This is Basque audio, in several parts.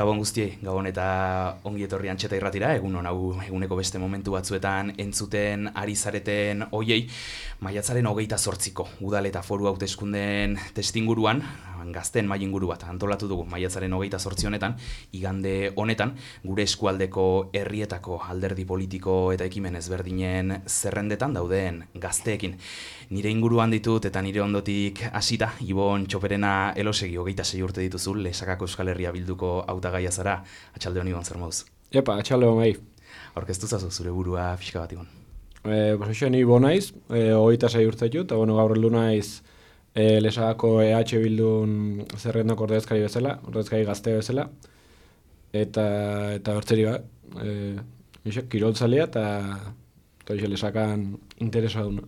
Gabon guztiei, Gabon eta ongi etorri Antxeta Irratira, egun hau eguneko beste momentu batzuetan entzuten ari zareten hoiei, maiatzaren 28ko udal eta foru hauteskundeen testinguruan, gazteen mailinguru bat antolatu dugu maiatzaren 28 honetan, igande honetan, gure eskualdeko herrietako alderdi politiko eta ekimen ezberdinen zerrendetan dauden gazteekin. Nire inguruan ditut eta nire ondotik hasita, Ibon Txoperena Elosegi 26 urte dituzu, Lesakako Euskal Herria Bilduko hautagaia zara. Atxalde honi Ibon, zer moduz? Epa, atxalde hon gai. Aurkeztu zazu zure burua pixka bat, Ibon. Pues Ibon naiz, 26 urte ditut, eta gaur heldu naiz Lesakako EH Bildun zerrendako ordezkari bezala, ordezkari gazte bezala, eta bertzeri bat, kiroltzalea eta Lesakan interesa duna.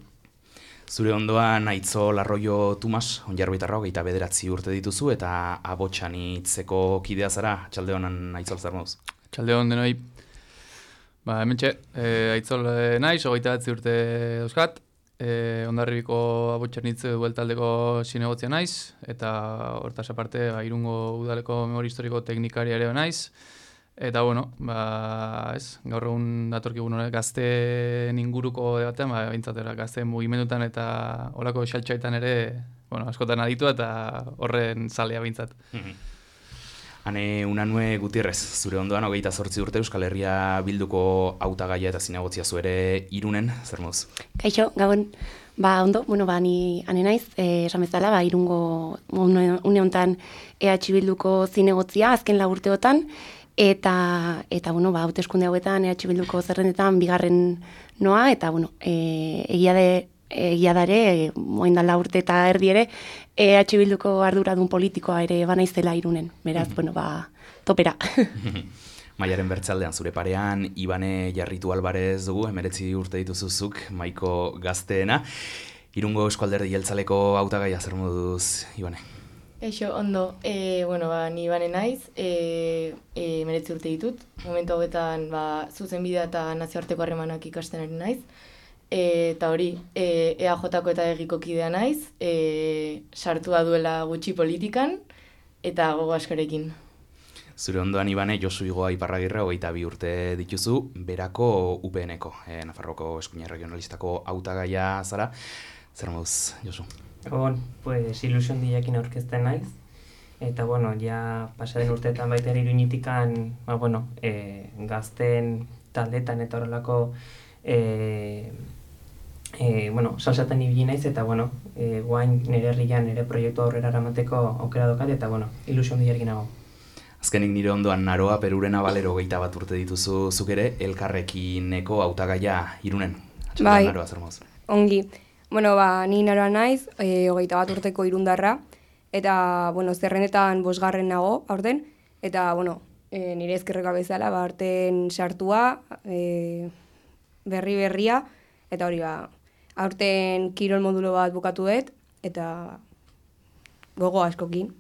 Zure ondoan Aitzol Arroyo Tumas, Onjarbitarra 29 urte dituzu eta Abotxan hitzeko kidea zara. Atxalde honan Aitzol, zer moduz? Atxalde hon denoi. Hementxe, Aitzol naiz, 29 urte dauzkat. Hondarribiko Abotxan hitz bueltaldeko zinegotzia naiz, eta hortaz aparte Irungo udaleko memori historiko teknikari ere naiz. Eta gaur egun datorkigun gazteen inguruko debatean, bintzatera gazteen mugimendutan eta olako xaltxaitan ere, askotan aditu eta horren zalea bintzat. Hane Unanue Gutierrez, zure ondoan 28 urte Euskal Herria Bilduko hautagaia eta zinegotziaz ere Irunen, zer moduz? Kaixo, Gabon. Ondo, ni ane naiz, esan bezala, Irungo une honetan EH Bilduko zinegotzia azken 4 urteotan, eta hauteskunde hauetan EH Bilduko zerrendetan bigarren noa, eta egia da ere, moindan 4 urte eta erdi ere, EH Bilduko arduradun politikoa ere banaizela Irunen, beraz, topera. Maiaren bertzaldean zure parean, Ibane Jarritu Alvarez dugu, 19 urte dituzuzuk, maiko gazteena. Irungo Eusko Alderdi Jeltzaleko hautagaia zer moduz, Ibane? Eixo, ondo, ni Ibane naiz, 19 urte ditut. Momentu hauetan zuzenbidea eta nazioarteko harremanak ikasten ari naiz. Eta hori, EAJ-ko eta egiko kidea naiz, sartua duela gutxi politikan, eta gogo askorekin. Zure ondoan Ibane, Josu Igoa Iparragirre 22 urte dituzu, berako UPN-eko, Nafarroko Eskuin Regionalistako hautagaia zara. Zer moduz, Josu? Ilusion diakin aurkezten naiz. Eta, ja pasaden urteetan baita ere Iruñitikan, gazten taldetan eta horrelako salsatan ibili naiz, eta, guain nire herrian nire proiektu aurrera eramateko aukera daukat, eta, ilusion diakin nago. Azkenik nire ondoan Naroa Perurena Balero 21 urte dituzu zuk ere, Elkarrekineko hautagaia Irunen. Bai, Naroa, zer moduz? Ongi. Ni Naroa naiz, 21 urteko irundarra, eta, zerrendetan 5. nago, aurten, eta, nire ezkerreka bezala, aurten sartua, berria, eta hori, aurten kirol modulo bat bukatu dut, eta gogo askokin.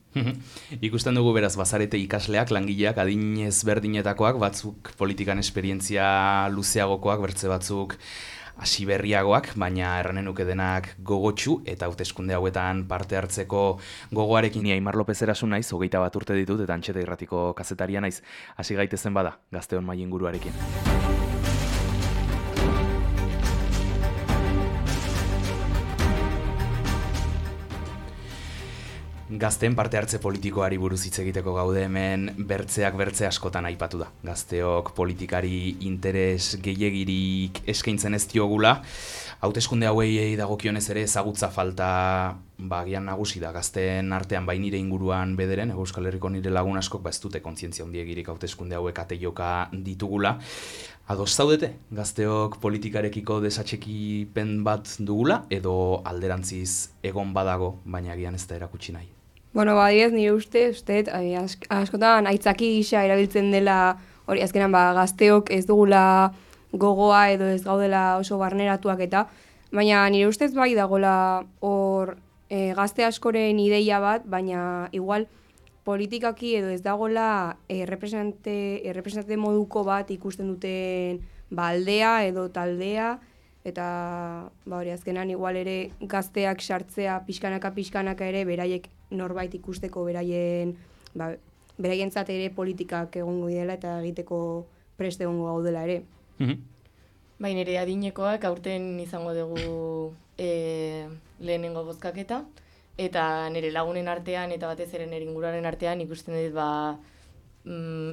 Ikusten dugu beraz bazarete ikasleak, langileak, adin ezberdinetakoak, batzuk politikan esperientzia luzeagokoak, bertze batzuk hasi berriagoak, baina erranen nuke denak gogotsu eta hauteskunde hauetan parte hartzeko gogoarekin. Ni Aimar Lopez erasun naiz, 21 urte ditut eta Antxeta Irratiko kazetaria naiz. Hasi gaitezen bada, gazteon mailinguruarekin. Gazteen parte hartze politikoari buruz hitz egiteko gaude hemen, bertze askotan aipatu da. Gazteok politikari interes gehiegirik eskaintzen ez diogula. Hauteskunde hauei dagokionez ere ezagutza falta agian nagusi da. Gazteen artean nire inguruan bederen, Euskal Herriko nire lagun askok ez dute kontzientzia handiegirik hauteskunde hauek ate joka ditugula. Ados zaudete, gazteok politikarekiko desatxekipen bat dugula, edo alderantziz egon badago, baina agian ez da erakutsi nahi? Adibidez, nire uste, askotan aitzaki gisa erabiltzen dela, hori azkenan gazteok ez dugula gogoa edo ez gaudela oso barneratuak eta, baina nire ustez bai dagoela hor gazte askoren ideia bat, baina igual politikaki edo ez dagoela representante moduko bat ikusten duten aldea edo taldea, eta hori azkenan igual ere gazteak sartzea pixkanaka ere beraiek norbait ikusteko beraien beraientzat ere politikak egongo dela eta egiteko prest egongo gaudela ere. Baina ere adinekoak aurten izango dugu lehenengo bozkaketa, eta nire lagunen artean eta batez ere nire inguruaren artean ikusten dut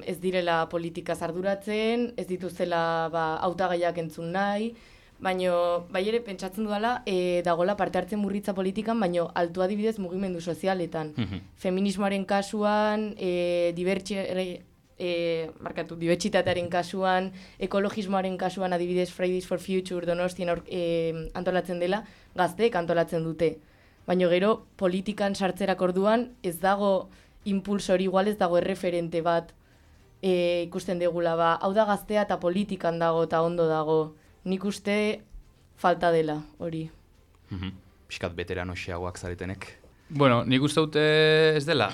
ez direla politikaz arduratzen, ez dituzela hautagaiak entzun nahi, baina bai ere pentsatzen dudala dagoela parte hartzen murritza politikan, baina altu adibidez mugimendu sozialetan. Feminismoaren kasuan, dibertsitatearen kasuan, ekologismoaren kasuan adibidez Fridays for Future Donostien antolatzen dela, gazteek antolatzen dute. Baina gero politikan sartzerak orduan ez dago impulso hori, igual ez dago erreferente bat ikusten degula, hau da gaztea eta politikan dago eta ondo dago. Nik uste falta dela hori. Piskat beteranoxeagoak zaretenek. Bueno, nik uste dute ez dela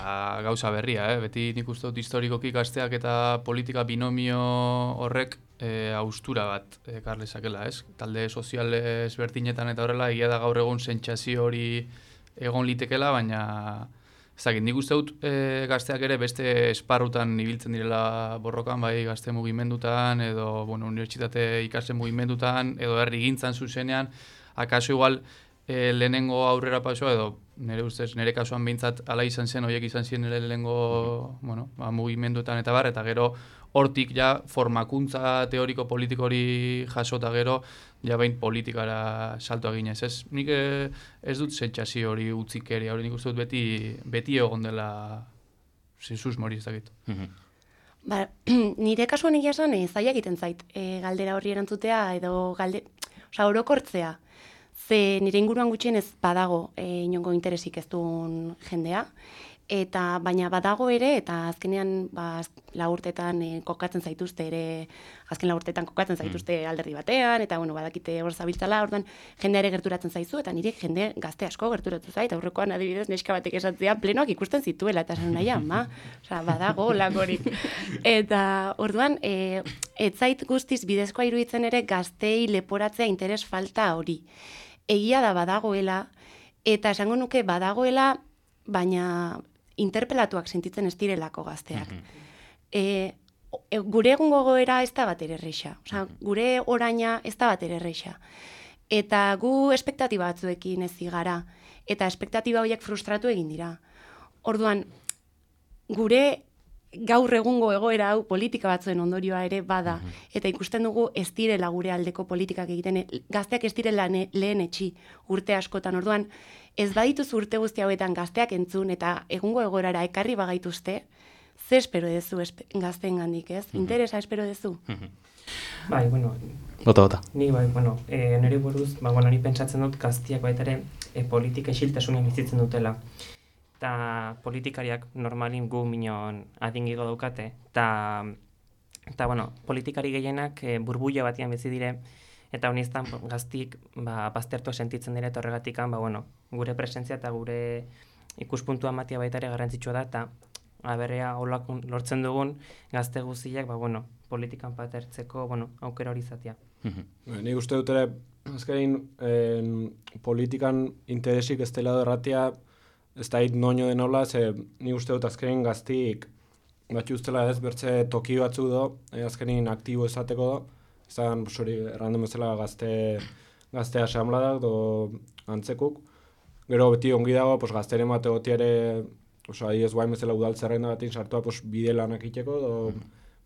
gauza berria, beti nik uste dut historikoki gazteak eta politika binomio horrek haustura bat ekar lezakela, ez? Talde sozial ezberdinetan eta horrela, egia da gaur egun sentsazio hori egon litekela, baina ezagik, nik uste dut gazteak ere beste esparrutan ibiltzen direla borrokan, bai gazte mugimendutan, edo unibertsitate ikasten mugimendutan, edo herrigintzan zuzenean, akaso igual lehenengo aurrera pasoa, edo nire ustez, nire kasuan behintzat ala izan zen, horiek izan ziren nire lehenengo mugimendutan eta bar, eta gero hortik ja formakuntza teoriko politiko hori jasota gero, ja behin politikara salto eginez. Nik ez dut sentsazio hori utzikeria, hori nik uste dut beti egon dela susmo hori ez dakit. Nire kasuan egia esan zaila egiten zait, galdera horri erantzutea edo orokortzea. Ze nire inguruan gutxien ez badago inongo interesik ez duen jendea, eta baina badago ere, eta azkenean lagurtetan kokatzen zaituzte ere, azken lagurtetan kokatzen zaituzte alderdi batean, eta badakite hor zabiltzala, orduan jendea ere gerturatzen zaizu, eta nire jende gazte asko gerturatu zait, aurrekoan adibidez neska batek esatzea plenoak ikusten zituela, eta esan nahi, badago lakorik. Eta orduan, ez zait guztiz bidezkoa iruditzen ere gaztei leporatzea interes falta hori. Egia da badagoela, eta esango nuke badagoela, baina interpelatuak sentitzen ez direlako gazteak. Gure egungo goera ez da bat ere erreixa. Gure oraina ez da bat ere erreixa. Eta gu espektatiba batzuekin ez zigara, eta espektatiba horiek frustratu egin dira. Orduan, gure gaur egungo egoera hau politika batzuen ondorioa ere bada, eta ikusten dugu ez direla gure aldeko politikak egiten, gazteak ez direla lehen etxi urte askotan, orduan ez badituz urte guzti hauetan gazteak entzun eta egungo egoerara ekarri bagaituzte, ze espero dezu gazteen gandik, ez? Interesa espero dezu? Bai, Bota. Ni nire buruz, ni pentsatzen dut gaztiak baita ere politika isiltasunean bizitzen dutela. Eta politikariak normalin gu minon adingigo daukate, eta politikari gehienak burbuila batian bizi dire, eta honiztan gaztik baztertu sentitzen dire, eta horregatikan gure presentzia eta gure ikuspuntua matia baita ere garrantzitsua da, eta aberrea holak lortzen dugun gazte guztiak politikan parte hartzeko aukera hori izatea. Nik uste dut ere, azkenein politikan interesik ez dela erratia, ez da hit noño denola, ze ni uste dut azkenin gaztik batxu ustela ez bertze toki batzu do, azkenin aktibo esateko do, ezan errandun bezala gazte asamladak do antzekuk. Gero beti ongi dago gazteren bat egotiare, ez guain bezala udal zerrenda batin sartua bide lanak iteko, do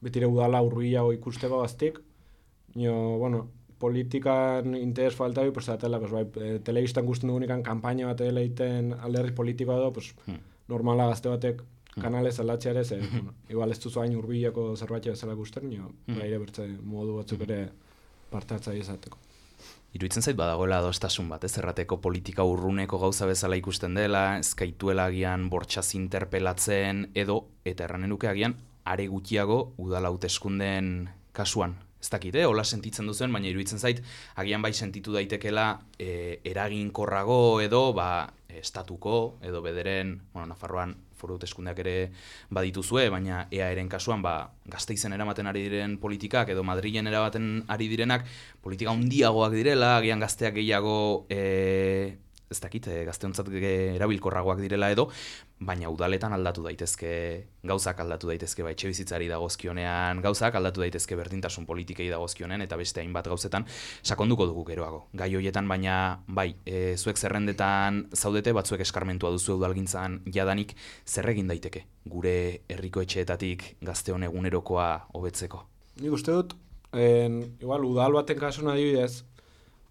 betire udala urruiago ikusteko gaztik. Politikan interes falta bi, telebistan guztien dugunikan kampaina bat egiten alderri politikoa do, normala gazte batek kanalez aldatzea ere, igual ez duzu hain urbilako zerbait bezala gusten, gaire bertze modu batzuk ere parte hartzaile izateko. Iruditzen zait badagoela adostasun bat, ez errateko politika urruneko gauza bezala ikusten dela, ezkaituela agian bortxaz interpelatzen edo, eta erranen duke agian, are gutxiago udala hauteskunden kasuan. Ez dakit, hola sentitzen duzen, baina iruditzen zait, agian bai sentitu daitekela eraginkorrago edo estatuko, edo bederen, Nafarroan foru hauteskundeak ere badituzue, baina EAEren kasuan Gasteizen eramaten ari diren politikak edo Madrilen eramaten ari direnak politika handiagoak direla, agian gazteak gehiago ez dakit, gazteontzat erabilkorragoak direla edo, baina udaletan aldatu daitezke, gauzak aldatu daitezke, etxe bizitzari dagozkionean, gauzak aldatu daitezke berdintasun politikei dagozkionean, eta beste hainbat gauzetan sakonduko dugu geroago. Gai hoietan, baina bai, zuek zerrendetan zaudete, batzuek eskarmentua duzu udalgintzan jadanik, zer egin daiteke gure herriko etxeetatik gazteon egunerokoa hobetzeko? Nik uste dut, igual udal baten kasun adibidez,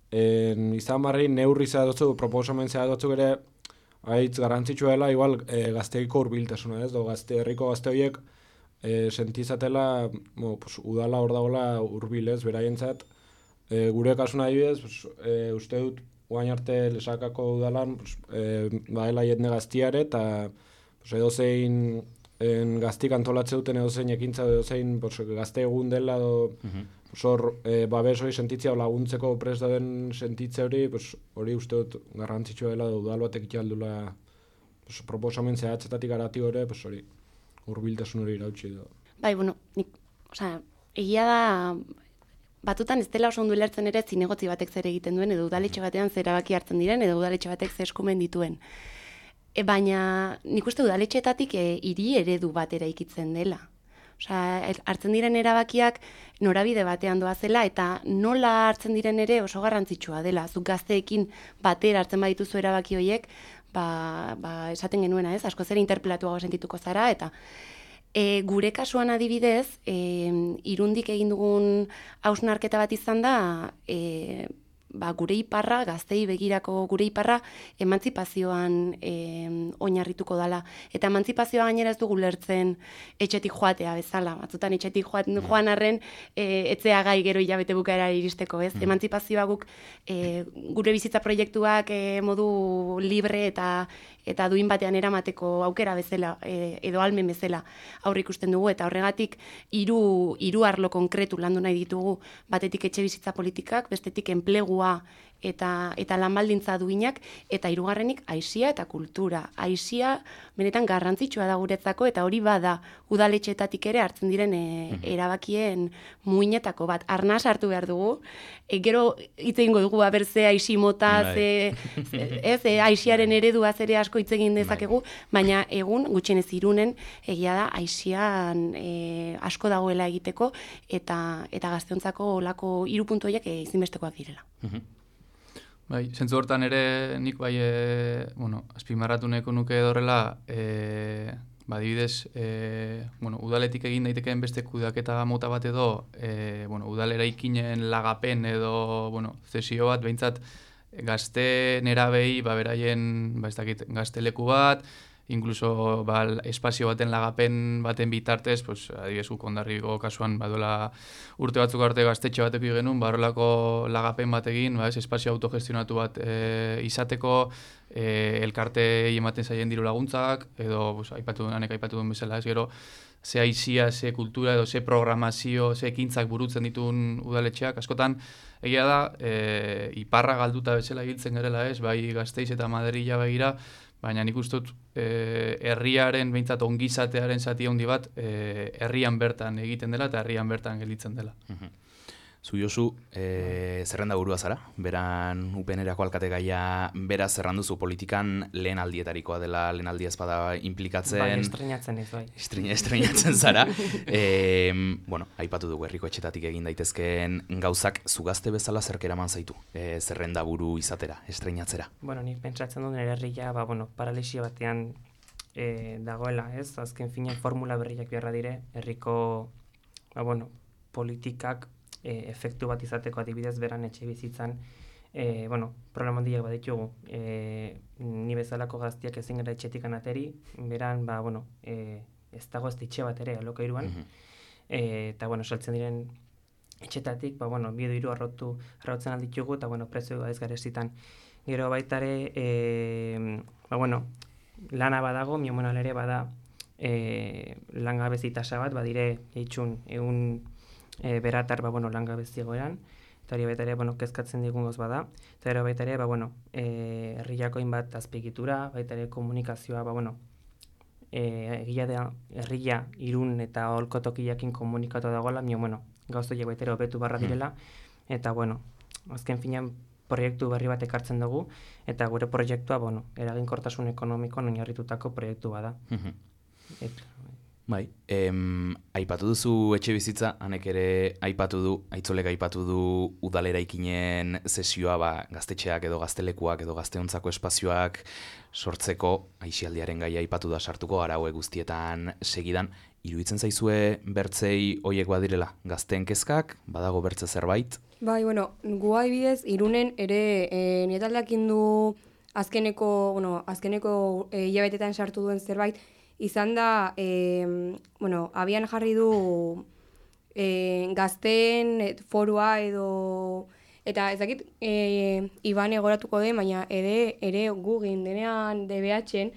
izan barri neurri zehadotzu, proposamen zehadotzu ere, haitz garantzitsua dela, igual gazteiko hurbiltasuna, ez? Herriko gazte horiek sentizatela, udala hor dagoela hurbilez, beraientzat. Gure kasuna adibidez, uste dut, guain arte Lesakako udalan, badela jende gaztiare, eta edozein gaztik antolatze duten edozein ekintza, edozein gazte egun dela, babes hori sentitzea laguntzeko prest dauden sentitze hori, hori uste dut garrantzitsua dela udal batek itxaldula proposamen zehatzetatik arati hori, hori hurbiltasun hori irautsi edo. Bai, egia da, batutan ez dela oso ondo ulertzen ere zinegotzi batek zer egiten duen, edo udaletxe batean zer erabaki hartzen diren, edo udaletxe batek zer eskumen dituen. Baina nik uste udaletxeetatik hiri eredu bat eraikitzen dela. Hartzen diren erabakiak norabide batean doazela eta nola hartzen diren ere oso garrantzitsua dela. Zuk gazteekin batera hartzen badituzu erabaki horiek, esaten genuena ez, asko zer interpelatuago sentituko zara, eta gure kasuan adibidez, Irundik egin dugun hausnarketa bat izan da, gure iparra, gaztei begirako gure iparra, emantzipazioan oinarrituko dala. Eta emantzipazioa gainera ez dugu lertzen etxetik joatea bezala. Batzutan etxetik joan arren etzea gai gero hilabete bukaera iristeko, ez? Emantzipazioa guk gure bizitza proiektuak modu libre eta duin batean eramateko aukera bezala, edo almen bezala aurre ikusten dugu, eta horregatik hiru arlo konkretu landu nahi ditugu, batetik etxe bizitza politikak, bestetik enplegua eta lanbaldintza duinak, eta hirugarrenik aisia eta kultura. Aisia benetan garrantzitsua da guretzako, eta hori bada udaletxeetatik ere hartzen diren erabakien muinetako bat. Arnaz hartu behar dugu, gero hitz egingo dugu ze aisi mota, aisiaren eredua ere asko hitz egin dezakegu, baina egun gutxienez Irunen egia da aisian asko dagoela egiteko, eta gazteontzako olako 3 puntu horiek ezinbestekoak direla. Bai, zentzu hortan ere nik azpimarratu nahiko nuke horrela, adibidez, udaletik egin daitekeen beste kudeaketa mota bat edo, udal eraikinen lagapen edo, zesio bat, behintzat gazte nerabei, beraien, gazteleku bat, inkluso espazio baten lagapen baten bitartez, adibidez Hondarribiko kasuan baduela urte batzuk arte gaztetxe batek genuen, horrelako lagapen bat egin, espazio autogestionatu bat izateko, elkarte ematen zaien diru laguntzak, edo aipatu duen bezala, gero ze aizia, ze kultura edo ze programazio, ze ekintzak burutzen dituen udaletxeak, askotan egia da, iparra galduta bezala giltzen garela ez, bai Gasteiz eta Madrila begira, baina nik uste dut herriaren, behintzat ongizatearen zati handi bat, herrian bertan egiten dela eta herrian bertan gelditzen dela. Zu Josu, zerrenda burua zara, beran UPN-erako alkate gaia beraz zerranduzu politikan lehen aldietarikoa dela, lehen aldia ezpada implikatzen. Bai, estreinatzen ez, bai. Estreinatzen zara. Aipatu dugu herriko etxetatik egin daitezkeen gauzak, zu gazte bezala zerk eraman zaitu, zerrenda buru izatera, estreinatzera. Nik pentsatzen dut nire herria, paralisia batean dagoela, ez? Azken finean formula berriak beharra dire, herriko, politikak efektu bat izateko adibidez beran etxe bizitzan, problema handiak baditugu. Ni bezalako gaztiak ezin gara etxetik anateri, beran, ez dago ez etxe bat ere alokairuan, eta, saltzen diren etxetatik, 2 edo 3 arrotzen alditugu, eta, prezioa ez garezitan. Gero baitare, lana badago, miomonal ere bada langabezi tasa bat, badire eitxun egun beratar langabeziago eran, eta hori baita ere, kezkatzen digun goz bada, eta hori baita ere, herriako inbat azpegitura, baita ere komunikazioa, egia da, herria Irun eta Olkotokiakin komunikatu dagoela, gauzoiek baita ere hobetu barra direla, eta azken finean proiektu berri bat ekartzen dugu, eta gure proiektua, eraginkortasun ekonomikoan oinarritutako proiektu bada. Bai, aipatu duzu etxe bizitza, hanek ere aipatu du, Aitzolek aipatu du udalera ikinen sesioa, gaztetxeak edo gaztelekuak edo gazteontzako espazioak sortzeko, aisialdiaren gaia aipatu da sartuko, gara hauek guztietan segidan. Iruditzen zaizue bertzei hoiek badirela, gazteen kezkak, badago bertze zerbait? Bai, gu adibidez, Irunen ere nietaldeak indu azkeneko hilabetetan sartu duen zerbait, izan da, abian jarri du gazteen forua edo, eta ez dakit Iban egoratuko den, baina ere gu gindenean DBH-en,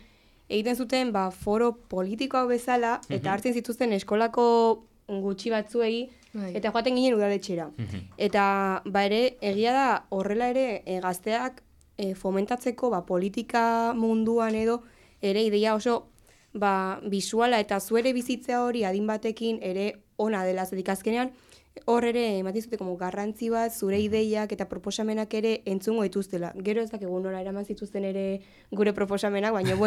egiten zuten foro politikoak bezala, eta hartzen zituzten eskolako gutxi batzuei, eta joaten ginen udaletxera. Eta ere, egia da, horrela ere gazteak fomentatzeko politika munduan edo, ere ideia oso bisuala eta zuere bizitzea hori adin batekin ere ona dela, zedik azkenean, hor ere ematen zute garrantzi bat, zure ideiak eta proposamenak ere entzungo dituztela. Gero ez dakigu nola eraman zituzten ere gure proposamenak, baina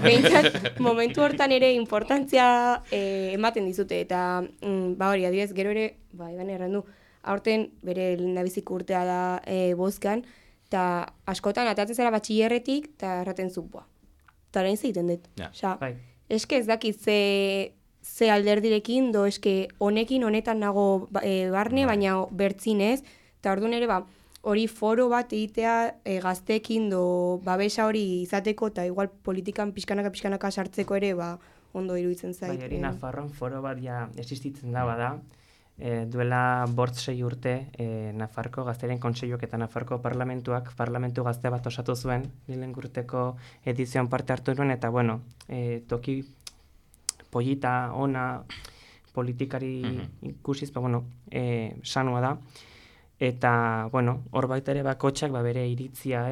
behintzat momentu hortan ere importantzia ematen dizute. Eta hori, adibidez, gero ere, Iban errandu, aurten bere lehendabiziko urtea da bozkan, eta askotan atatzen zara batxillerretik, eta erraten zu, eta orain zeiten dut. Eske ez dakit ze alderdirekin, eske honetan nago barne, baina bertzinez, eta orduan ere hori foro bat egitea gazteekin babesa hori izateko, eta igual politikan pixkanaka sartzeko ere ondo iruditzen zait. Bai, hori Nafarroan foro bat existitzen da bada, duela 6 urte Nafarko Gazteren Kontseiluak eta Nafarko Parlamentu gazte bat osatu zuen, lehen urteko edizioan parte hartu nuen, eta toki polita, ona, politikari ikusiz, sanua da. Eta, hor baita ere bakotxak bere iritzia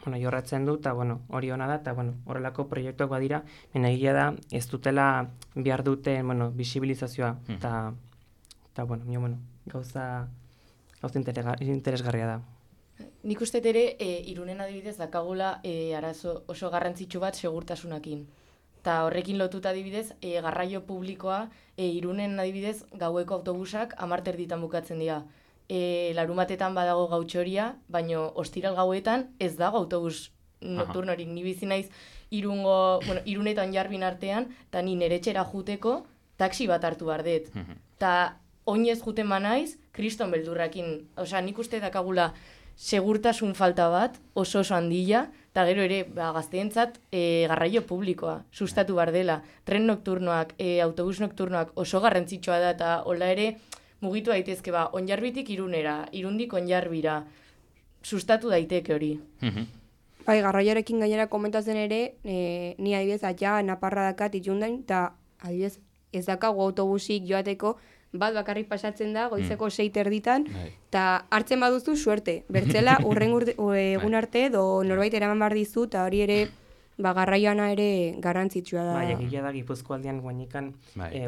jorratzen du, eta hori ona da, eta horrelako proiektuak badira, egia da, ez dutela behar duten bisibilizazioa, eta gauza interesgarria da. Nik uste ere, Irunen adibidez dakagula arazo oso garrantzitsu bat segurtasunakin. Eta horrekin lotuta adibidez, garraio publikoa, Irunen adibidez, gaueko autobusak 10 erditan bukatzen dira. Larumatetan badago gautxoria, baino ostiral gauetan ez dago autobus nocturnorik. Ni bizi naiz Irunetan Jarbin artean, eta ni nere etxera juteko taxi bat hartu behar dut. Eta oinez juten naiz, kriston beldurrakin. Osea, nik uste dakagula segurtasun falta bat, oso handia, eta gero ere gazteentzat garraio publikoa sustatu behar dela. Tren nocturnoak, autobus nocturnoak oso garrantzitsua da, eta hola ere mugitu daitezke Onjarbitik Irunera, Irundik Onjarbira, sustatu daiteke hori. Bai, garraioarekin gainera komentatzen ere, ni adibidez Naparra dakat itxundain, eta adibidez ez dakago autobusik joateko, bat bakarrik pasatzen da, goizeko 6 erditan, eta hartzen baduzu suerte. Bertzela, egun arte, norbait eraman behar dizu, eta hori ere, garraioana ere garrantzitsua da. Bai, egia da, Gipuzkoaldean guainikan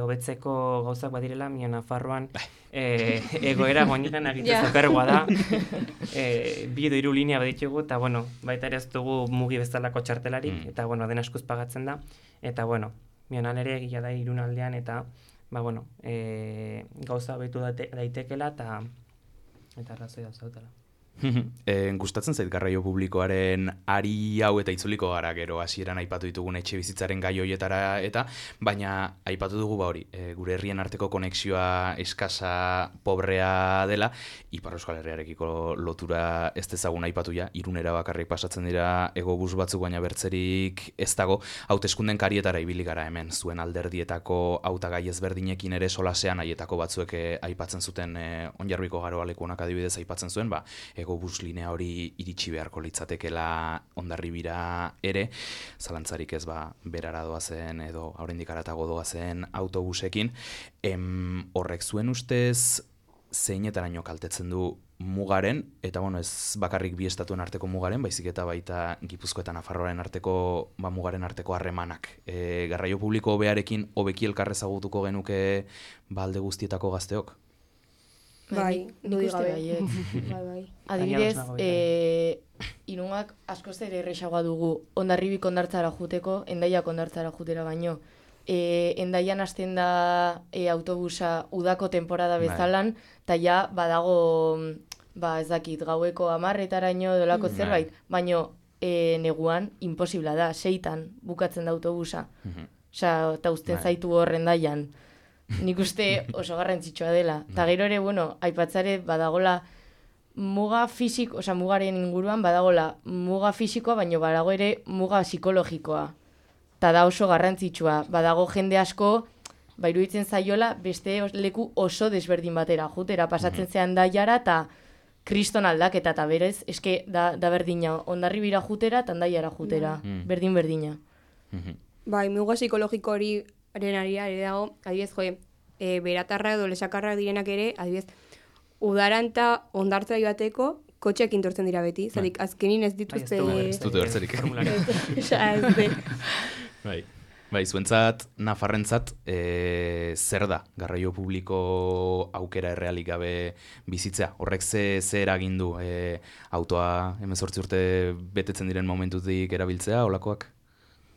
hobetzeko gauzak badirela, mio Nafarroan egoera guainikan agitez okergoa da. 2 edo 3 linea baditugu, eta baita ere ez dugu mugi bezalako txartelarik, eta den askuz pagatzen da, eta mionan ere egia da Irunaldean, eta gauza betu daitekela eta arrazoi da zautela. Gustatzen zait garraio publikoaren ari hau eta itzuliko gara gero hasieran aipatu ditugun etxe bizitzaren gai hoietara eta baina aipatu dugu hori gure herrien arteko konexioa eskasa pobrea dela Ipar Euskal Herriarekiko lotura ez dezagun aipatu ja Irunera bakarrik pasatzen dira egobus batzuk baina bertzerik ez dago hauteskunden karietara ibili gara hemen zuen alderdietako hautagai ezberdinekin ere solasean haietako batzuek aipatzen zuten Onjarbiko Garoalekunak adibidez aipatzen zuen egobus linea hori iritsi beharko litzatekela Hondarribira ere, zalantzarik ez berara doazen edo oraindik haratago doazen autobusekin. Horrek zuen ustez zeinetaraino kaltetzen du mugaren, eta ez bakarrik bi estatuen arteko mugaren, baizik eta baita Gipuzko eta Nafarroaren arteko mugaren arteko harremanak. Garraio publiko hobearekin hobeki elkarrezagutuko genuke alde guztietako gazteok? Bai, nik dudi uste gabe. baietz. Bai. Adibidez, Baina ados nago Irungak askoz ere erresagoa dugu Hondarribik hondartzara juteko, Hendaiak hondartzara jutera baino. Hendaian hasten da autobusa udako temporada bezalan, eta ja badago, ez dakit, gaueko 10:00 dolako zerbait, baino neguan imposibla da, 6:00 bukatzen da autobusa. Osea, eta uzten zaitu hor Hendaian. Nik uste oso garrantzitsua dela. Eta gero ere, aipatzare badagola muga fisiko, mugaren inguruan badagola muga fisikoa, baino badago ere muga psikologikoa. Eta da oso garrantzitsua. Badago jende asko, iruditzen zaiola, beste leku oso desberdin batera. Jutera pasatzen zean daiara, eta kriston aldaketa, eta berez, eske da berdina. Hondarribira jutera, eta Hendaiara jutera. Berdina. Bai, muga psikologiko hori arenari ere dago, adibidez, beratarra edo lesakarrak direnak ere, adibidez, udaran eta hondartza joateko kotxeak intortzen dira beti, zatik azkenin ez dituzte... Ez dute bertzerik. Bai, zuentzat, nafarrentzat, zer da garraio publiko aukera errealik gabe bizitzea? Horrek ze eragin du autoa 18 urte betetzen diren momentutik erabiltzea, olakoak?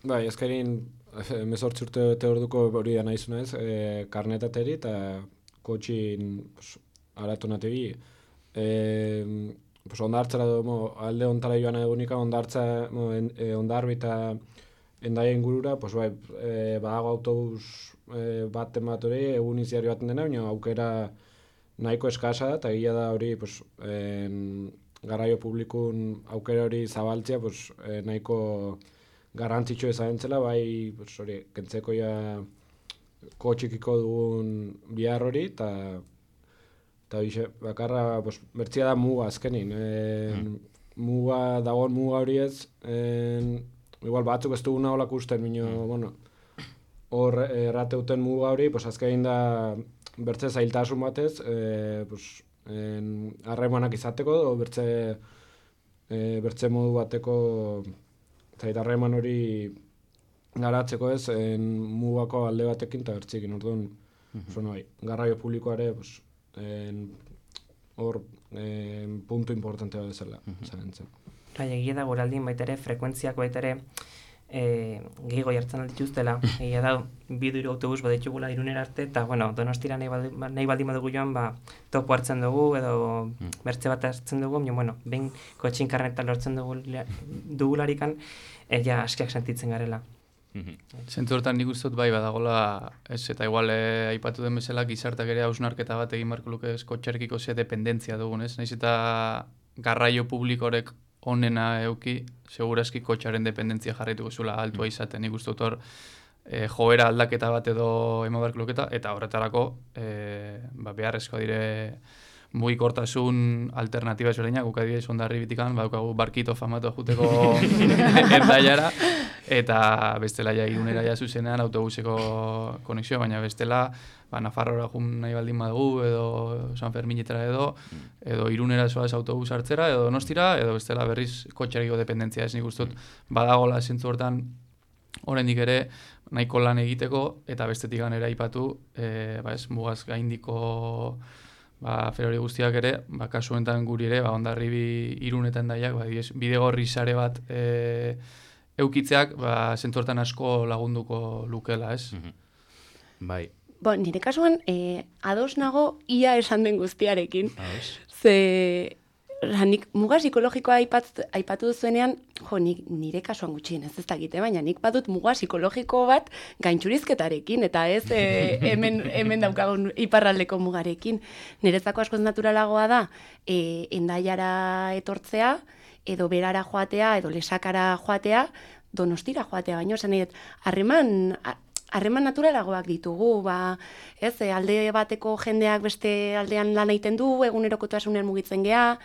Bai, ezkerin 18 urte bete orduko hori da nahi zunez, karnetateri eta kotxin aratu natebi. Ondartzara alde ontara joan egunika, ondarbi eta Hendaia ingurura, badago autobus baten bat hori, egun iziari baten dena, baina aukera nahiko eskasa da, eta gila da hori garraio publikun aukera hori zabaltzea nahiko garrantzitsu ezabentzela, bai kentzeko ja kotxikiko dugun bihar hori, eta bakarra bertzia da muga azkenin. Dagoen muga hori ez, igual batzuk ez duguna holak usten, hor errateuten muga hori, azkenin da bertze zailtasun batez, harremanak izateko, bertze modu bateko harreman hori garatzeko ez, mugako alde batekin eta bertzekin, orduan, garraio publikoare, hor puntu importantea bezala, zarentzen. Egia da guraldin baita ere, frekuentziak baita ere gehiago jartzen aldituztela. Egia da, 2-3 autobus baditugula Irunera arte, eta Donostira nahi baldin badugu joan, topo hartzen dugu, edo bertze bat hartzen dugu, behin kotxin karneta lortzen dugularikan, askiak sentitzen garela. Zentzu hortan nik uste dut bai badagola, eta igual aipatu den bezala gizartak ere hausnarketa bat egin marko luke kotxerekiko ze dependentzia dugun, ez? Naiz eta garraio publikorek onena euki, segurazki kotxaren dependentzia jarraituko zuela altua izaten, nik uste dut hor joera aldaketa bat edo ema barko luketa, eta horretarako beharrezkoa dire mugikortasun alternatiba ezberdinak, guk adibidez Hondarribitikan badukagu barkito famatu juteko Hendaiara, eta bestela ja Irunera ja zuzenean autobuseko konexioa, baina bestela Nafarroara jun nahi baldin badugu, edo San Ferminetara edo Irunera zoaz autobus hartzera, edo Donostira, edo bestela berriz kotxerekiko dependentzia ez nik ustut badagola zentzu hortan oraindik ere nahiko lan egiteko, eta bestetik ganera aipatu, mugaz gaindiko ferori guztiak ere, kasu honetan guri ere, Hondarribi Irunetan daiak, bidegorri sare bat eukitzeak, zentzu hortan asko lagunduko lukela, ez? Bai. Nire kasuan, ados nago ia esan den guztiarekin. Ze, nik muga psikologikoa aipatu duzuenean, nire kasuan gutxien ez dakite, baina nik badut muga psikologiko bat gaintxurizketarekin, eta ez hemen daukagun iparraldeko mugarekin. Niretzako askoz naturalagoa da, Hendaiara etortzea, edo berara joatea, edo lesakara joatea, Donostira joatea, baina esan nahi, harreman naturalagoak ditugu, alde bateko jendeak beste aldean lan egiten du, egunerokotasunean mugitzen gea,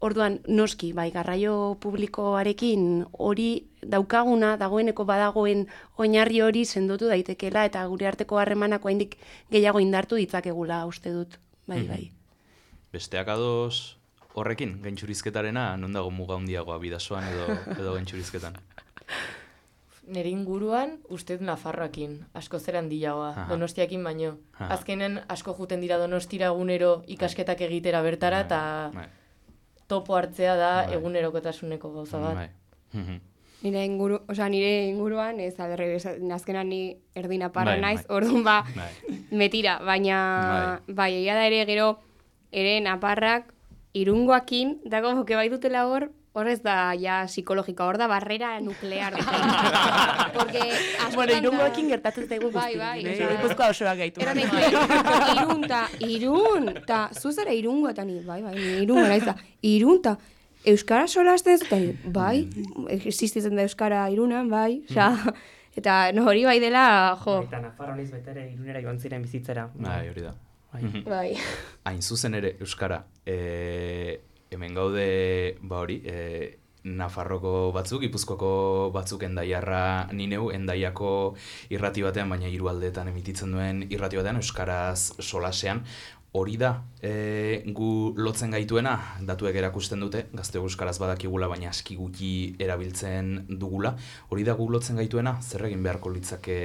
orduan noski, garraio publikoarekin hori daukaguna, dagoeneko badagoen oinarri hori sendotu daitekela, eta gure arteko harremanak oraindik gehiago indartu ditzakegula uste dut, bai. Besteak ados horrekin, gaintxurizketarena, non dago muga handiagoa bidasoan edo gaintxurizketan? nire inguruan, uste dut Nafarroakin, asko zer handiagoa, Donostiakin baino. Azkenen asko juten dira Donostira egunero ikasketak egitera bertara, eta topo hartzea da egunerokotasuneko gauza bat. Nire inguruan, ez aberre, azkenan ni erdi naparra naiz, orduan metira, baina egia da ere gero, ere naparrak Irungoakin, dago que bai dutela hor ez da ja psikologika, hor da barrera nuklear. Bueno, Irungoakin gertatzen zaigu guzti. Bai. Gipuzkoa osoak gaitu. Irun, ta zuzara Irungoa, eta ni Irungoa naiz da. Irun, ta Euskara solasten zuten, bai, existitzen da Euskara Irunan, bai, eta hori bai dela, jo. Eta Nafarroaniz betere Irunera joan ziren bizitzera. Bai, hori da. Bai. Hain zuzen ere, Euskara, hemen gaude, Nafarroko batzuk, Gipuzkoako batzuk Endaiarra nineu, Endaiako irrati batean, baina hiru aldeetan emititzen duen irrati batean, Euskaraz solasean. Hori da, gu lotzen gaituena, datuek erakusten dute, gazte euskaraz badakigula, baina aski gutxi erabiltzen dugula. Hori da gu lotzen gaituena, zer egin beharko litzake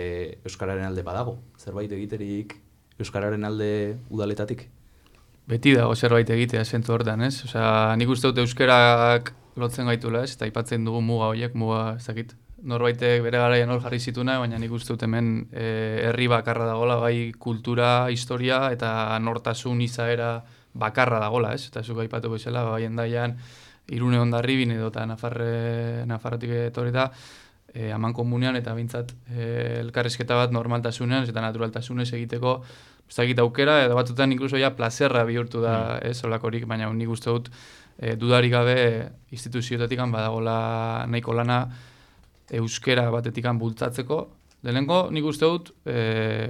euskararen alde badago? Zerbait egiterik euskararen alde udaletatik? Beti dago zerbait egitea zentzu hortan, ez? Osea, nik uste dut euskarak lotzen gaitula, ez? Eta aipatzen dugu muga horiek, ez dakit. Norbaitek bere garaian hor jarri zituna, baina nik uste dut hemen herri bakarra dagola, bai kultura, historia eta nortasun izaera bakarra dagola, ez? Eta zuk aipatu bezala, bai Endaian, Irune Hondarribin edo eta Nafarrotik etorrita, aman komunean eta bintzat elkarrizketa bat normaltasunean eta naturaltasunez egiteko ez dakit aukera, edo batzutan inkluso ja plazerra bihurtu da, ez, holakorik, baina nik uste dut dudarik gabe instituzioetatik badagola nahiko lana euskera batetikan bultzatzeko, lehenengo nik uste dut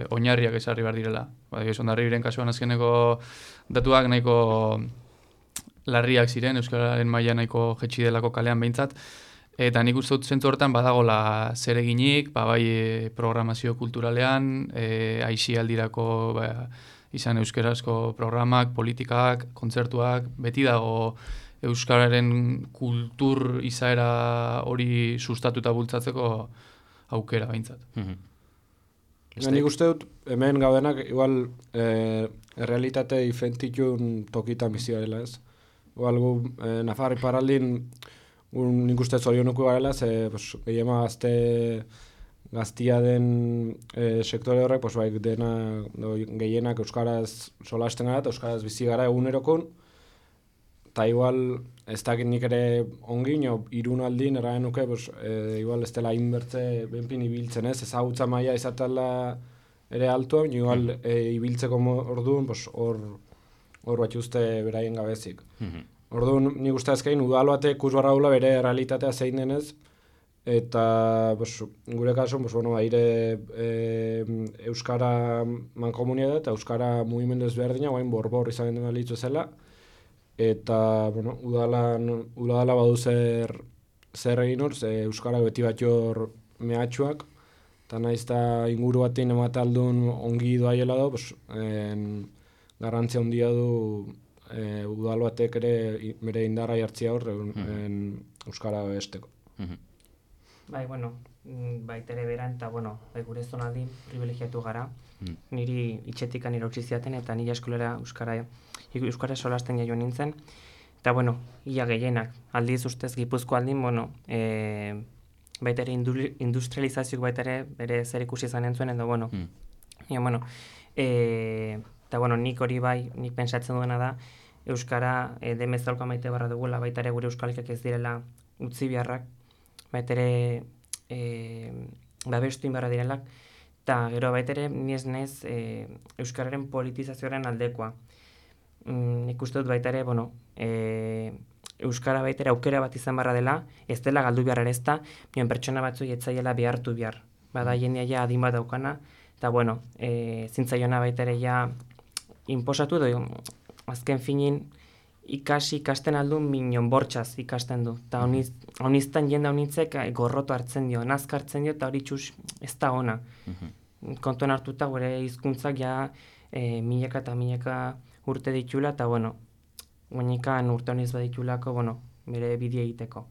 oinarriak esarri behar direla. Hondarribiren kasuan azkeneko datuak nahiko larriak ziren, euskararen maila nahiko jetxi delako kalean behintzat, eta nik uste dut zentzu hortan badagola zer eginik, bai programazio kulturalean, aisialdirako izan euskerazko programak, politikak, kontzertuak, beti dago euskararen kultur izaera hori sustatuta bultzatzeko aukera behintzat. Nik uste dut, hemen gaudenak, igual, errealitate diferentitun tokitan bizi garela, ez? Igual, gu, Nafarri paraldin, nik uste zorionuko garela, gehiema gaztia den sektore horrek, bai, gehienak euskaraz solasten gara, eta euskaraz bizi gara egunerokon, eta igual, ez dakit nik ere ongin, Irun aldin, eraen nuke, igual ez dela inbertze benpin ibiltzen ez, ezagutza maila izatela ere altuan, igual ibiltzeko orduan, hor bat uste beraien gabezik. Orduan, nik uste azkein, udal batek ikusbarra dula bere realitatea zein denez, eta gure kasun, aire euskara mankomunia da, eta euskara mugimendu ezberdina, guain borbor izan den balitzu zela, eta, udala badu zer egin hor, euskara beti bat jor mehatxuak, eta nahiz eta inguru batean emataldun ongi doaiela do, garrantzia handia du udal batek ere bere indarra jartzia hor euskara besteko. Bai, baitere beran, eta, gure zonaldin privilegiatu gara. Niri itxetikan irautsi ziaten, eta nire eskolera euskara solasten jaio nintzen. Eta, ia gehienak. Aldiz ustez Gipuzko aldin, baitere industrializazioak baitere bere zer ikusi izan entzuen, edo, eta, nik hori bai, nik pentsatzen duena da, euskara demezalkoa maite barra dugula, baitare gure euskalikak ez direla utzi beharrak, baitere babestu inbarra direlak, eta gero baitere niez euskararen politizazioaren aldekoa. Nik uste dut baitare, euskara baitere aukera bat izan barra dela, ez dela galdu behar ere ez da, pertsona batzuk etzaiela behartu behar. Bada jendea ja adin bat daukana, eta zintzaiona baitere ja inposatu edo, azken finin, ikasten aldun minon bortxaz ikasten du. Eta honiztan jende honitzek gorroto hartzen dio, nazka hartzen dio, eta hori txus ez da ona. Kontuan hartuta gure hizkuntzak ja milaka eta milaka urte ditula, eta guenikan urte honiz baditulako, bere bidea egiteko.